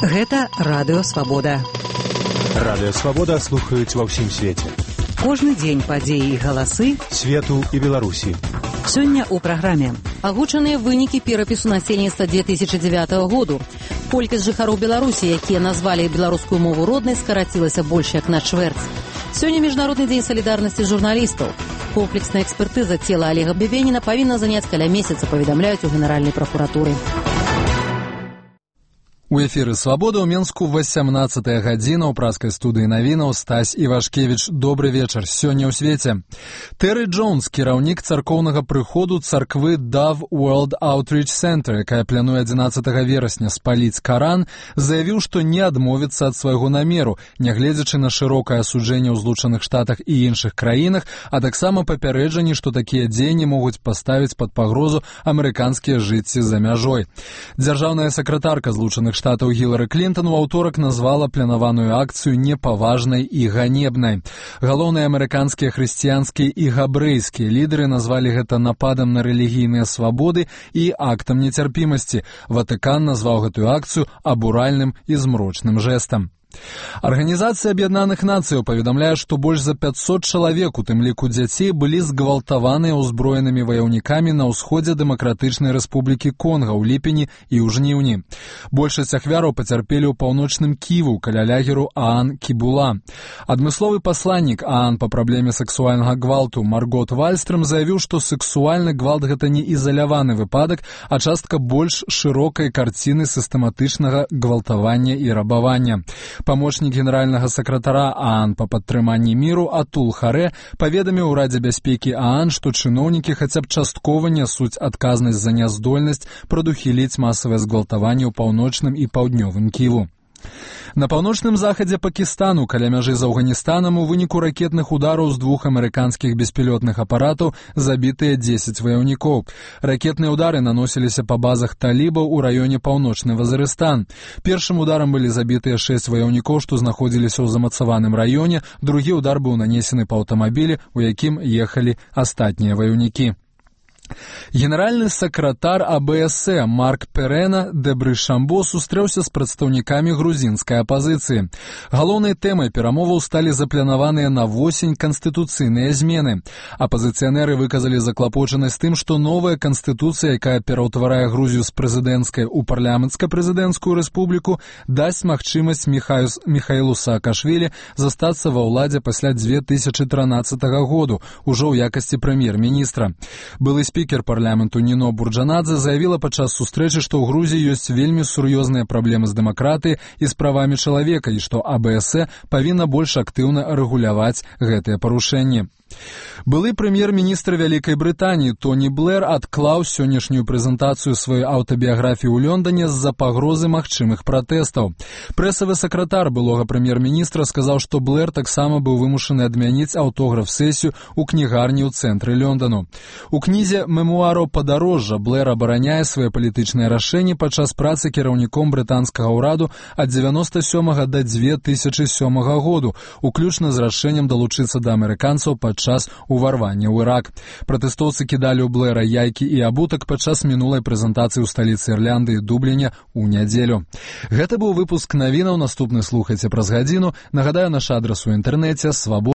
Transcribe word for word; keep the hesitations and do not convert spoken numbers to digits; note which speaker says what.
Speaker 1: Гэта Радыё Свабода.
Speaker 2: Радыё Свабода слухаюць ва ўсім свеце.
Speaker 1: Кожны дзень падзеі і галасы
Speaker 2: свету і Беларусі.
Speaker 1: Сёння ў праграме агучаныя вынікі перапісу насельніцтва две тысячи дзевятого году. Колькасць жыхароў Беларусі, якія назвалі беларускую мову роднай, скарацілася больш як на чвэрць. Сёння міжнародны дзень салідарнасці журналістаў. Комплексная экспертыза цела Олега Бебеніна павінна заняць каля месяца, паведамляюць у Генеральнай пракуратуры.
Speaker 3: У эфіры «Свабода» ў Менску васямнаццатая гадзіна ў праскай студыі навінаў Стась Івашкевіч. Добры вечар. Сёння ў свеце. Тэры Джонс, кіраўнік царкоўнага прыходу царквы Dove World Outreach Center, якая плануе адзінаццатага верасня спаліць Каран, заявіў, што не адмовіцца ад свайго намеру, нягледзячы на шырокае асуджэнне ў Злучаных Штатах і іншых краінах, а таксама папярэджанні, што такія дзеянні могуць паставіць пад пагрозу амерыканскія жыцці за мяжой. Дзяржаўная сакратарка Злучаных Штатаў Гілары Клінтон у аўторак назвала планаваную акцыю непаважнай і ганебнай. Галоўныя амерыканскія хрысціянскія і габрэйскія лідары назвалі гэта нападам на рэлігійныя свабоды і актам нецярпімасці. Ватыкан назваў гэтую акцыю абуральным і змрочным жэстам. Арганізацыя Аб'яднаных Нацыяў паведамляе, што больш за пятьсот чалавек, у тым ліку дзяцей, былі згвалтаваныя ўзброенымі ваяўнікамі на ўсходзе Дэмакратычнай Рэспублікі Конга ў ліпені і ў жніўні. Большасць ахвяраў пацярпелі ў паўночным Ківу каля лагеру Аан Кібула. Адмысловы пасланнік Аан па праблеме сексуальнага гвалту Маргот Вальстрам заявіў, што сексуальны гвалт гэта не ізаляваны выпадак, а частка больш шырокай карціны сістэматычнага гвалтавання і рабавання. Памочнік генеральнага сакратара Аан па падтрыманні міру Атул Харэ паведаміў у Радзе бяспекі Аан, што чыноўнікі хаця б часткова нясуць адказнасць за няздольнасць прадухіліць масавае згвалтаванне ў паўночным і паўднёвым Ківу. На паўночным захадзе Пакістану, каля мяжы з Афганістанам, у выніку ракетных удараў з двух амерыканскіх беспілотных апаратаў забітыя дзесяць ваяўнікоў. Ракетныя ўдары наносіліся па базах талібаў у раёне Паўночны Вазарыстан. Першым ударам былі забітыя шэсць ваяўнікоў, што знаходзіліся ў замацаваным раёне, другі ўдар быў нанесены па аўтамабілі, у якім ехалі астатнія ваяўнікі. Генеральны сакратар А Бэ Эс Э Марк Перена Дэбры Шамбо сустрэўся з прадстаўнікамі грузінскай апазіцыі. Галоўнай тэмай перамоваў сталі запланаваныя на восень канстытуцыйныя змены. Апазіцыянеры выказалі заклапочанасць тым, што новая канстытуцыя, якая пераўтварае Грузію з прэзідэнцкай у парламенцка-прэзідэнцкую рэспубліку, дасць магчымасць Міхаілу Саакашвілі застацца ва ўладзе пасля две тысячы трынаццатага году, ужо ў якасці прэм'ер-міністра. Былы спікер парламенту Ніно Бурджанадзе заявіла падчас сустрэчы, што ў Грузіі ёсць вельмі сур'ёзныя праблемы з дэмакратыяй і з правамі чалавека і што А Бэ Эс Э павінна больш актыўна рэгуляваць гэтыя парушэнні. Былы прэм'ер-міністр Вялікай Брытаніі Тоні Блэр адклаў сённяшнюю прэзентацыю сваёй аўтабіяграфіі ў Лондоне з-за пагрозы магчымых пратэстаў. Прэсавы сакратар былога прэм'ер-міністра сказаў, што Блэр таксама быў вымушаны адмяніць аўтограф-сесію ў кнігарні ў цэнтры Лондону. У кнізе «Мемуараў падарожжа» Блэр абараняе свае палітычныя рашэнні падчас працы кіраўніком брытанскага ўраду ад дзевяноста сёмага да дзве тысячы сёмага году, уключна з рашэннем далучыцца да амерыканцаў падчас уварвання ў Ірак. Пратэстоўцы кідалі ў Блэра яйкі і абутак падчас мінулай прэзентацыі ў сталіцы Ірландыі Дубліне ў нядзелю. Гэта быў выпуск навінаў, наступны слухайце праз гадзіну. Нагадаю, наш адрас у інтэрнэце свабода.